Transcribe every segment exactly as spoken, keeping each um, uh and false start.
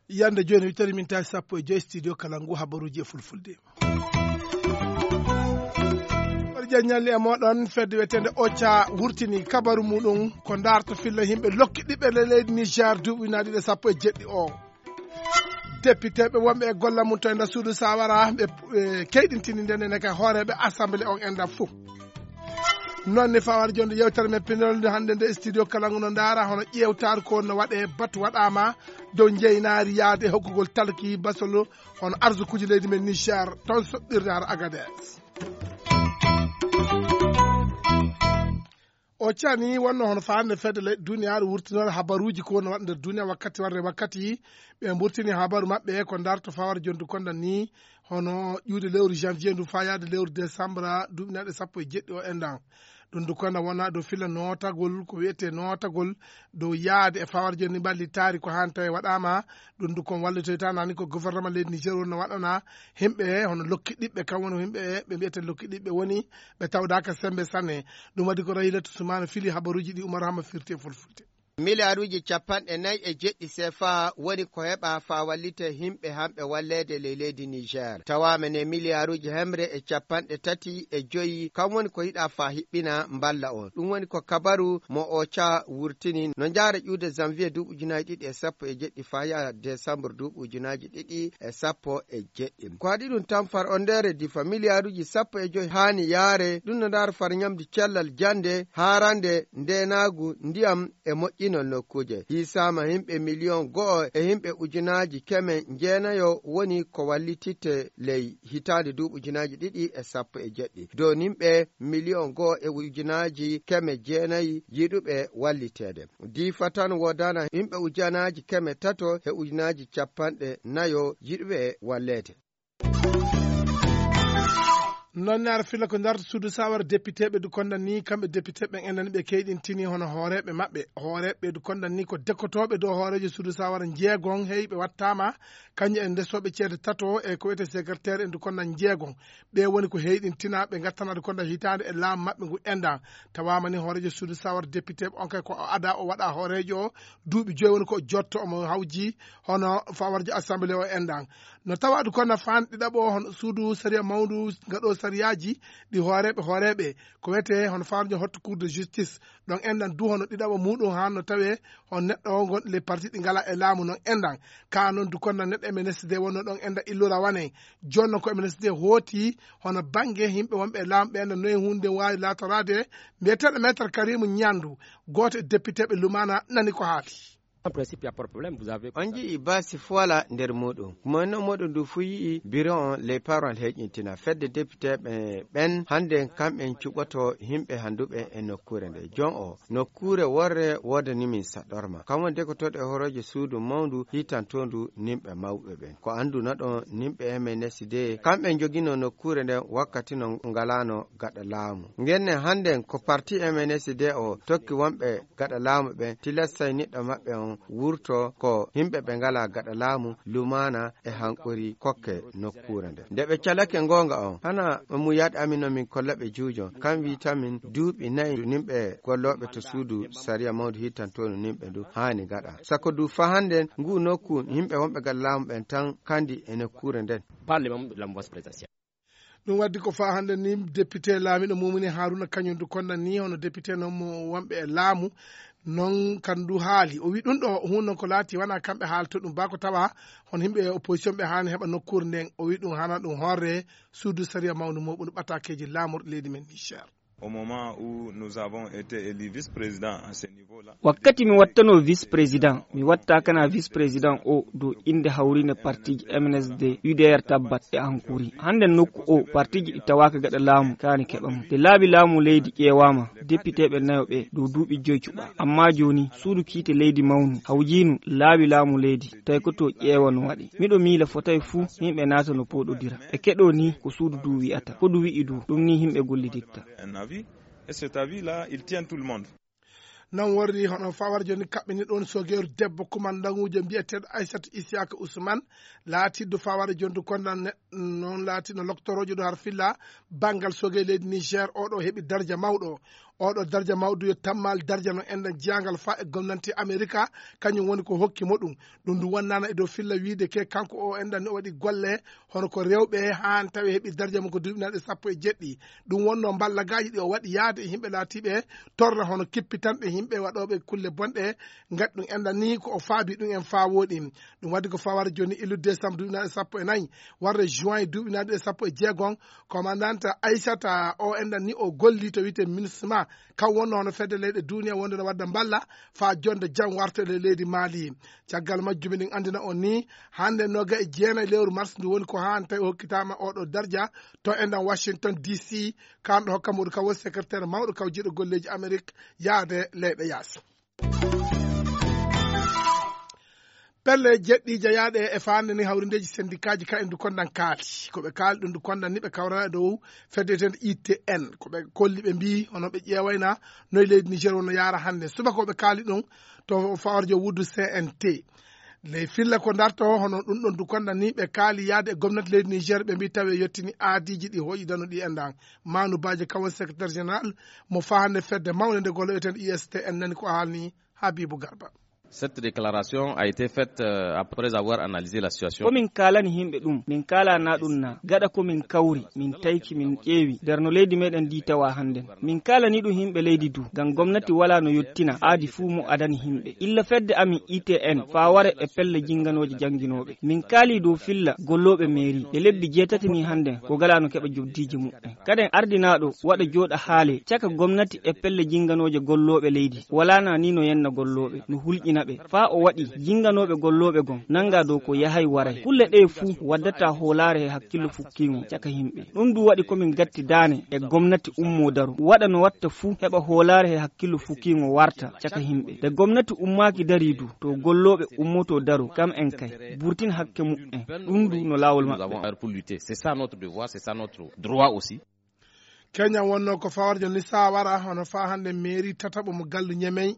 Yande jooni, mi tawi min tawi sappo e joy studio kala ngu habaruuji e fulfulde. Mbaɗa jaññalli e mooɗon, fedde wiyeteende Ocha wurtini kabaru muɗum ko ndaarto filla yimɓe lokki ɗiɓɓe le leydi Niger duuɓi ujunaaji ɗiɗi e sappo e jeɗɗi o. Depiteeɓe wonɓe e golla mum to e nder suudu sawara ɓe eh, keyɗintini nden ene ka hooreeɓe assemblée on enɗan fof. Noon ne fawar jonde yewtere men pinol nde hannde nde studio kala ngu no ndaara hono ƴeewtaar ko no waɗe batu waɗaama dow njeynaari yaade e hokkugol talki basolo hono arsukuuji leydi men Niger toon soɓɓirde hara Agadez. O cani wonno hono faande fedde leyɗe duniyaaru wurtinoore habaruuji ko woni waɗa nder duniya wakkati warde wakkati ɓe mburtini habaru maɓɓe ko ndarto fawar jondu konda ni hono ƴuude lewru janvier ndu faa yaade lewru décembre duuɓi naɗe sappo e jeɗɗi o endan. Ɗum ndu konda wona dow filla nootagol ko wiyetee nootagol dow yaade e fawar jondu ni mballitaari ko haan tawi waɗaama. Ɗum ndu kon wallitoyta nani ko gouvernement leydi Niger wonno waɗana himɓe hono lokki ɗiɓɓe kam woni himɓe ɓe mbiyete lokki ɗiɓɓe woni ɓe tawdaaka sembe sanne. Ɗum waɗi ko Rahilatu Sumana fili habaruuji ɗi Umar Hama firti e fulfulde. Miliyaaruuji capanɗe nayi e jeɗɗi sefa woni ko heɓa faa wallite himɓe hamɓe walleede ley leydi Niger. Tawaama ne miliyaaruuji hemre e capanɗe tati e joyi kam woni ko yiɗa faa hiɓɓina mballa on. Ɗum woni ko kabaru mo Ocha wurtini no njaara ƴuude janvier duuɓi ujunaaji ɗiɗi e sappo e jeɗɗi faa yaa décembre duuɓi ujunaaji ɗiɗi e sappo e jeɗɗi. Ko waɗi ɗum tan far on ndeere difa miliyaaruuji sappo e joyi haani yaare ɗum no ndaara far ñamdi cellal jannde, haarande, ndeenaagu, ndiyam e moƴƴinol nokkuuje. Hiisaama yimɓe miliyon go'o e yimɓe ujunaaji keme njeenayo woni ko wallititte ley hitaande duuɓi ujunaaji ɗiɗi e sappo e jeɗɗi. Dow yimɓe miliyon go'o e ujunaaji keme jeenayi yiɗuɓe walliteede. Diifa tan woodana yimɓe ujunaaji keme tato e ujunaaji capanɗe nayo yiɗuɓe walleede. Noon ne ara filla ko ndarta suudu sawara depiteeɓe du konda ni kamɓe depiteeɓe en nani ɓe keyɗintini hono hooreeɓe maɓɓe hooreeɓe du konda ni ko dekkotooɓe dow hooreejo suudu sawara njeegon hey ɓe wattaama kañum e ndesooɓe ceede tato e ko wiyetee secrétaire en du konda njeegon. Ɓe woni ko heyɗintina ɓe ngattana du konda hitaande e laamu maɓɓe ngu endan. Tawaama ni hooreejo suudu sawara depiteeɓe on kay ko o ada o waɗa hooreejo o duuɓi joyi woni ko o jotto omo hawji hono fawarjo assemblée o endan. No tawa du konda faan ɗiɗaɓo hono suudu sariya mawndu ngaɗo sariyaaji ɗi hooreeɓe hooreeɓe ko wiyetee hono fawarjo hotto cour de justice. Ɗon endan du hono ɗiɗaɓo muɗum haan no tawee hono neɗɗo o ngon les parti ɗi ngala e laamu noon endan. Ka noon du konda neɗɗo M N S D wonno ɗon enda illura wane. Jooni noon ko M N S D hooti hono bannge yimɓe wonɓe e laamu ɓe enda noye huunde waawi laatoraade. Mbiyeteeɗo maître Karimu Ñandu gooto e depiteeɓe Lumana nani ko haali. En principe, il y a pas de problème, vous avez On njii baasi fuwala nder muɗum. Mo no muɗum ndu fu yi'i biro on les parents heƴintina fedde depiteeɓe ɓen hannden kamɓen cuɓoto yimɓe handuɓe e nokkuure nde. Jon o nokkuure worre woodani min saɗorma. Kam woni dekotoɗo e horoje suudu mawndu hitantondu nimɓe mawɓe ɓen. Ko annduna ɗon nimɓe M N S D kamɓe njogino nokkuure nden wakkati no ngalano gaɗa laamu. Ngenne hannden ko parti M N S D o tokki wonɓe gaɗa laamu ɓen tilastay niɗɗo maɓɓe on wurto ko yimɓe ɓe ngala gaɗa laamu lumaana e hanquri kokke nokkuure nden. Nde ɓe calake ngoonga on, hana mu yaɗ amin no min kolla ɓe juujon, kam wi tamin duuɓi nayi nimɓe gollooɓe to suudu sariya mawndu hittantonu nimɓe ndu haani gaɗa. Sako du fa hannden ngu nokku yimɓe wonɓe gaɗa laamu ɓen tan kandi e nokkuure nden. Parlement de la mauvaise présidentielle. Ɗum waddi ko faa hannde ni député laamiɗo mumini Haruna Kañum du konda ni hono député noon mo wonɓe e laamu noon kan du haali. O wi ɗum ɗo huun noon ko laati wona kamɓe haalto ɗum ba ko tawa hono yimɓe opposition ɓe haani heɓa nokkuure nden. O wi ɗum hana ɗum horre suudu sariya mawndu muɓum ɓatakeeji laamorɗi leydi men Niger. Au moment où nous avons été élus vice-président à ce niveau-là. Wakkati mi wattanoo vice-président, mi watta kana vice-président o dow innde hawriinde partiji M N S D, U D R Tabbat e Ankuri. Hannde nokku o, partiji ɗi tawaaka gaɗa laamu kaani keɓa mo. Nde laabi laamu leydi ƴeewaama, depiteeɓe nayo ɓe dow duuɓi joy cuɓa. Amma jooni, suudu kiite leydi mawnu, hawjiinu laabi laamu leydi, tawi ko to ƴeewa no waɗi. Miɗo miila fotay fuu yimɓe naata no pooɗodira. E keɗoo ni ko suudu du wi'ata, ko du wi'i du, ɗum ni yimɓe golliditta. Un avis, et cet avis-là, il tient tout le monde. Non worri hono fawara joni kaɓɓini ɗon sogeeru debbo kumandanguujo mbiyeteeɗo Aysatu Isiyaka Usman, laatiiɗo fawara joni du kondan ne-, noon laatiino loktoroojo du har filla banngal sogee leydi Niger, oɗo heɓi darja mawɗo. Oɗo darja mawɗo yo tammal darja no enɗan jeyangal fa e gomnanti Amerika, kañum woni ko hokki mo ɗum. Ɗum du wonnaana e dow filla wiide ke kanko o enɗan ni o waɗi golle hono ko rewɓe haan tawi heɓi darja mum ko duuɓinaaɗe sappo e jeɗɗi. Ɗum wonno mballagaaji ɗi o waɗi yaade e yimɓe laatiiɓe torra hono kippitanɓe yimɓe waɗooɓe kulle bonɗe. Ngati ɗum enɗan ni ko o faabi ɗum en faa wooɗi. Ɗum waɗi ko fawara joni illude décembre duuɓinaaɗe sappo e nayi warde juin duuɓinaaɗe sappo e jeegon. Commandante Aysata o enɗan ni o golli to wiyte MINUSMA, kam wonno hono fedde leyɗe duniya wonde no wadda mballa faa jonde jam warta e leydi Mali. Caggal majjum eɗen anndina on ni hannde noga e jeenayi lewru mars ndu woni ko haan tawi o hokkitaama oɗo darja to enɗan Washington D C, kanɗo hokka muɗum kam woni secrétaire mawɗo kaw jiiɗo golleeji Amerik yaade leyɗe yaasi. Pelle jeɗɗi jeyaaɗe e faande ni hawrindeeji sendikaaji ka en du kondan kaali. Ko ɓe kaali ɗum du kondan ni ɓe kawrana e dow fedde wiyeteende I T N. Ko ɓe kolli ɓe mbii hono ɓe ƴeewayna noy leydi Niger wonno yaara hannde. Subaka o ɓe kaali ɗum to fawarjo wuddu C N T. Ley filla ko darto hono ɗum ɗon du kondan ni ɓe kaali yaade e gomnati leydi Niger ɓe mbii tawi e yettini aadiiji ɗi hooƴi danuɗi e ndan. Manu Baje kawon secrétaire général mo faa hannde fedde mawnde nde golo wiyeteende I S T N nani ko haalni Habibu Garba. Cette déclaration a été faite, euh, après avoir analysé la situation. Ko min kaalani yimɓe ɗum, min kaalana ɗum na gaɗa ko min kawri, min tayki, min ƴeewi nder no leydi meɗen ndi tawa hannden. Min kaalani ɗum yimɓe leydi du, ngam gomnati wala no yottina aadi fuu mo adani yimɓe. Illa fedde amin I T N faa ware e pelle jinganooje jannginooɓe. Min kaali dow filla gollooɓe meeri e lebbi jeetati ni hannden ko gala no keɓa jobdiiji muɓɓen. Kaden ardinaaɗo waɗa jooɗa haale caka gomnati e pelle jinganooje gollooɓe leydi. Walaa na ni no yenna gollooɓe, no hulƴina ɓe. Faa o waɗi jinganooɓe gollooɓe gon nanga dow ko yahay waray. Kulle ɗee fuu waddata hoolaare e hakkillo fukkiingo caka yimɓe. Ɗum du waɗi ko min gatti daane e gomnati ummoo daro. Waɗa no watta fuu heɓa hoolaare e hakkillo fukkiingo warta caka yimɓe. Nde gomnati ummaaki darii du, to gollooɓe ummoto daro, kam en kay. Burtin hakke muɓɓen. Ɗum du no laawol maɓɓe. Nous avons heure pour lutter. C'est ça notre devoir, c'est ça notre droit aussi. Kenya wonno ko fawarjo ni sawara hono faa hannde meeri tataɓo mo gallu Ñemey.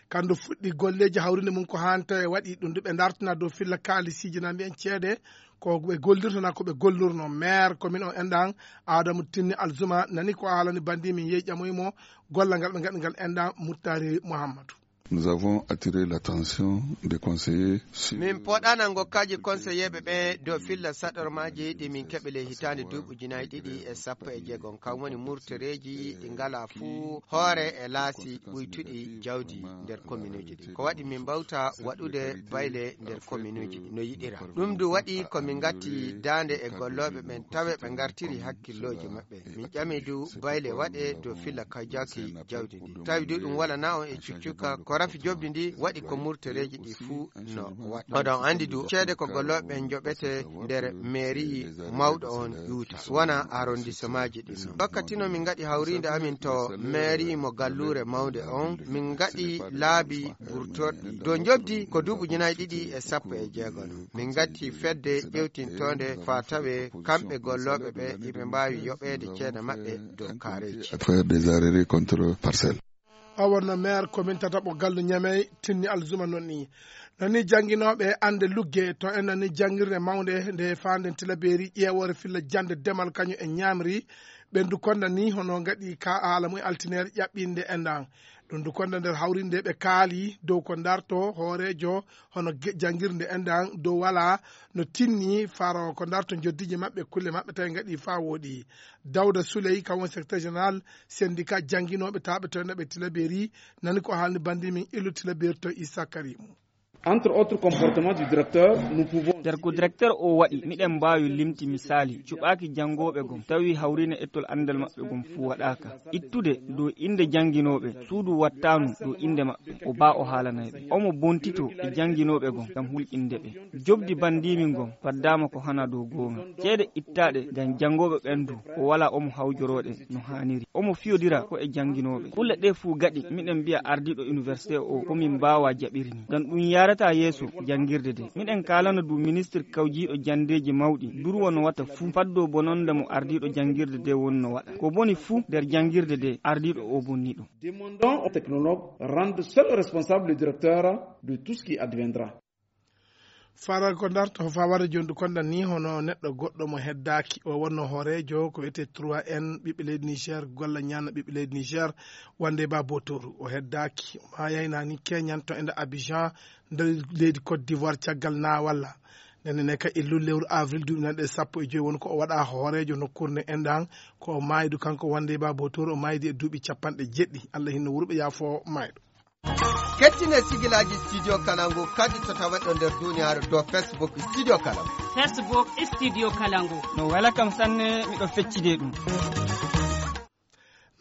Kandu fuɗɗi golleeji hawrinde mum ko haan tawi waɗi ɗum du ɓe dartina dow filla kaalisiiji na mbiyen ceede ko ɓe gollirta na ko ɓe gollirno. Maire commune o enɗan Adamu Tinni Alzuma nani ko haalani banndi min yehi ƴamoyi mo gollal ngal ɓe ngaɗi ngal enɗan Muttari Muhammadu. Nous avons attiré l'attention des conseillers sur... Min poɗana ngokkaaji konseyeeɓe ɓe dow filla saɗormaaji ɗi min keɓi ley hitaande duuɓi ujunaaji ɗiɗi e sappo e jeegom, kam woni murtoreeji ɗi ngalaa fuu hoore e laasi ɓuytuɗi jawdi nder kominuuji ɗi. Ko waɗi min mbawta waɗude bayle nder kominuuji no yiɗira. Ɗum du waɗi ko min ngatti daande e gollooɓe ɓen tawe ɓe ngartiri hakkillooji maɓɓe. Min ƴami du bayle waɗe dow filla kajaki jawdi ndi. Tawi du ɗum wala na on e cuccuka ko rafi jobdi ndi waɗi ko murtoreeji ɗi fuu no waɗa. Oɗon anndi du ceede ko gollooɓe ɓen joɓete nder mairie mawɗo on ƴuuta, wona arrondissemaaji ɗin non. Wakkati no min ngaɗi hawriinde amin to mairie mo galluure mawnde on, min ngaɗi laabi burtorɗi dow jobdi ko duuɓi ujunaaji ɗiɗi e sappo e jeegom. Min ngatti fedde ƴewtintoonde faa tawe kamɓe gollooɓe ɓe iɓe mbaawi yoɓeede ceede maɓɓe dow kaareeji. À travers des arrêtés contre parcelles. O wonno maire commune tataɓo gallu Ñamey, Tinni Alzuma non ni. Non ni jannginooɓe annde lugge to en nani janngirde mawnde nde faanden Tilaberi ƴeewoore filla jannde demal kañum e ñaamri. Ɓen du konda ni hono ngaɗi ka haala mum e altineere ƴaɓɓiinde enɗan. Ɗum du konda nder hawrinde ɓe kaali dow ko darto hooreejo hono ge-, janngirde enɗan dow wala no tinni faro ko darto njoddiije maɓɓe, kulle maɓɓe tawi ngaɗi faa wooɗi. Dawda Souley, kam woni secrétaire général syndicat jannginooɓe taaɓe to enɗan ɓe Tilaberi, nani ko haalni banndi min illu Tilaberi to Issa Karimu. Entre autres comportements du directeur, nous pouvons... Nder ko directeur o waɗi, miɗen mbaawi limti misaali, cuɓaaki janngooɓe gom, tawi hawriine ettol anndal maɓɓe gom fuu waɗaaka. Ittude dow innde jannginooɓe, suudu wattaanu dow innde maɓɓe, o baa o haalanay ɓe. Omo bontitoo e jannginooɓe gom ngam hulƴinde ɓe. Jobdi banndiimi ngon faddaama ko hana dow goonga. Ceede ittaaɗe ngam janngooɓe ɓen du, o walaa omo hawjorooɗe no haaniri. Omo fiyodira ko e jannginooɓe. Kulle ɗee fuu gaɗi, miɗen mbiya ardiiɗo université o, ko min mbaawaa jaɓiri ni. Ngam ɗum yaara Ta yeeso janngirde de. Miɗen kaalana du ministir kawjiiɗo janndeeji mawɗi, durwo no wata fuu, faddo bononda mo ardiiɗo janngirde de woni no waɗa. Ko boni fuu nder janngirde de, ardiiɗo o bonni ɗum. Demandons au technologue rendre seul responsable le directeur de tout ce qui adviendra. Fara ko ndarto, ko fawade jonndu konda ni, hono neɗɗo goɗɗo mo heddaaki, o wonno hooreejo ko wiyetee trois N, ɓiɓɓe leydi Niger, golla ñaanna ɓiɓɓe leydi Niger, wonde ba Botoru. O heddaaki, o maayay na ni keñan to enda Abidjan, nder leydi Côte d'Ivoire, caggal na walla. Nden ne ka illu lewru avril duuɓi nanɗe sappo e joy woni ko o waɗa hooreejo nokkuure nde enɗan, ko o maaydu kanko wonde ba Botoru, o maaydi e duuɓi capanɗe jeɗɗi. Allah hinno wurɓe yaafo maayɗo. Kettine sigilaaji Studio Kalangu kadi to taweɗo nder duniyaaru dow Facebook Studio Kalangu. Facebook Studio Kalangu. No wela kam sanne, miɗo feccide ɗum.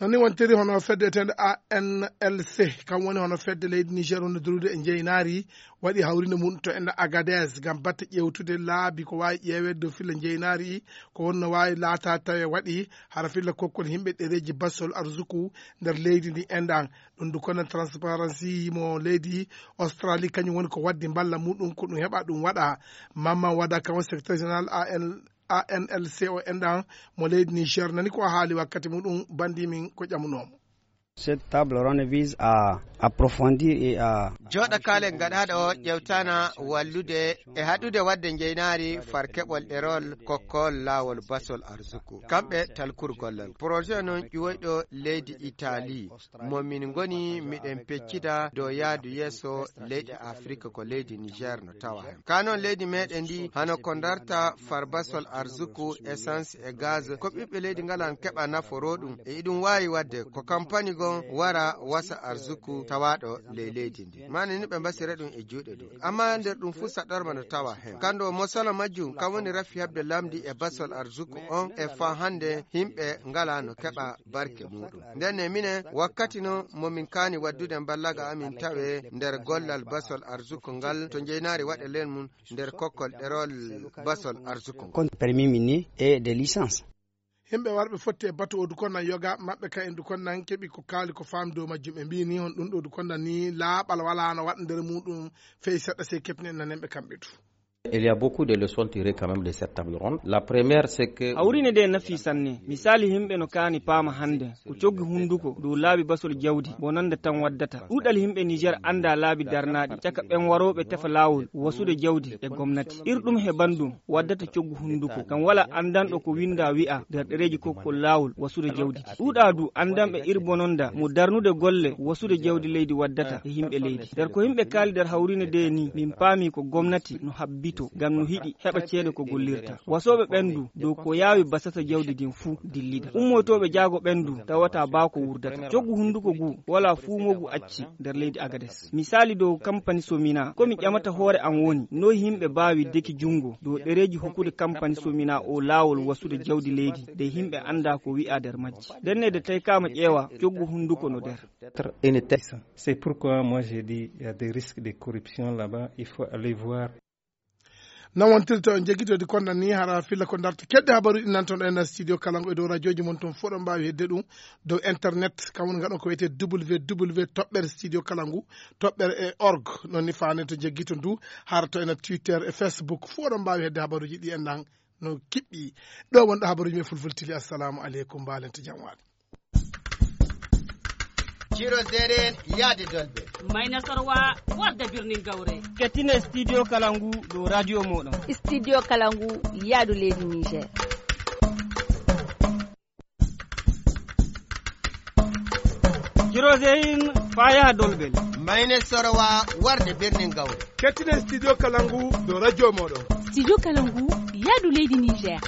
Non ni wontiri hono fedde etende A N L C, kam woni hono fedde leydi Niger woni durude e njeynaari, waɗi hawrinde mum to enda Agadez ngam batte ƴeewtude laabi ko waawi ƴeeweede dow filla njeynaari, ko wonno waawi laata tawe waɗi hara filla kokkol yimɓe ɗereeji basol arsuku nder leydi ndi enɗan. Ɗum du kono Transparency mo leydi Australie, kañum woni ko waddi mballa muɗum ko ɗum heɓa ɗum waɗa. Mamman Wada, kan woni secrétaire général A N, A N L C o enɗan mo leydi Niger, nani ko haali wakkati muɗum, bandi min ko ƴamunoomo. Cette table ronde vise à approfondir et à Jooɗa kaalen gaɗaaɗo o ƴewtana wallude e haɗude waɗde njeynaari far keɓol ɗerol kokkol laawol basol arsuku. Kamɓe talkur gollal. Projet noon ƴuwoyɗo leydi Italie, mo min ngoni miɗen peccida dow yaadu yeeso leyɗe Afrika ko leydi Niger no tawa heen. Ka noon leydi meɗen ndi hano ko darta far basol arsuku, essence e gaz, ko ɓiɓɓe leydi ngalan keɓa naforo ɗum. E iɗum waawi waɗde ko kampani gon wara wasa arsuku tawaaɗo ley leydi ndi. Mani ni ɓe mbasira ɗum e juuɗe ɗum. Amma nder ɗum fuu saɗɗorma no tawa heen. Kando mosala majjum kam woni rafi heɓde lamdi e basol arsuku on e faa hannde yimɓe ngalaa no keɓa barke muɗum. Nden ne minen wakkati no mo min kaani waddude mballaga amin tawe nder gollal basol arsuku ngal to njeynaari waɗe len mum nder kokkol ɗerol basol arsuku ngal. Kon permis minier et de licence. Yimɓe warɓe fotti e batu o du konnan yoga maɓɓe ka en du konnan keɓi ko kaali ko faam dow majjum. Ɓe mbii ni hon ɗum ɗo du konnan ni laaɓal walaa no waɗa nder muɗum fey seɗɗa sey keɓni en nanen ɓe kamɓe du. Il y a beaucoup de leçons tirées quand même de cette table ronde. La première, c'est que Hawrine de nafi sanne. Misali yimɓe no kaani paama hannde. Ko coggu hunnduko dow laabi basol jawdi bonannde tan waddata. Ɗuuɗal yimɓe Niger annda laabi darnaaɗi caka ɓen warooɓe tefa laawol wasude jawdi e gomnati. Ir ɗum he banndum waddata coggu hunnduko. Kam wala anndanɗo ko winnda wi'a nder ɗereeji kokkol laawol wasude jawdi. Ɗuuɗa du anndanɓe ir bononda mo darnude golle wasude jawdi leydi waddata e yimɓe leydi. Nder ko yimɓe kaali nder hawrine de ni, min paami ko gomnati no habbito ngam no hiɗi heɓa ceede ko gollirta. Wasooɓe ɓen du dow ko yaawi basata jawdi din fuu dillida. Ummotooɓe jaago ɓen du tawata baa ko wurdata. Coggu hunnduko gu wala fuumogu acci nder leydi Agades. Misali dow kampani Somina, ko mi ƴamata hoore am woni, noy yimɓe baawi deki junngo dow ɗereeji hokkude kampani Somina o laawol wasude jawdi leydi, de yimɓe annda ko wi'a nder majji. Nden ne de taykaama ƴeewa, coggu hunnduko no nder. Peut-être une tête. C'est pourquoi moi j'ai dit, il y a des risques de corruption là-bas, il faut aller voir. Non wontirta on jeggitoɗi konɗan ni hara filla ko darta kedde habaruji ɗi nanton ɗo e nder studio Kalangu e dow radioji mon ton fof ɗon mbaawi hedde ɗum dow internet kam woni ngaɗon ko wiyetee W W W toɓɓere studio Kalangu toɓɓere e org. Non ni faane to jeggito ndu hara to ena Twitter e Facebook fof ɗon mbaawi hedde habaruji ɗi enɗan no kiɓɓi. Ɗo wonɗo habaruji men fulfultili. Assalamu aleykum, mbaalen to jam waali. Ciro Zeren yaade Dolbe. Mayna Sorwa warde birnin Gawre. Kettine studio Kalangu dow radio moɗon. Studio Kalangu yaadu leydi Niger. Ciro Zeyin faa yaha Dolbel. Mayne Sorwa warde birnin Gawre. Kettine studio Kalangu dow radio moɗon. Studio Kalangu yaadu leydi Niger.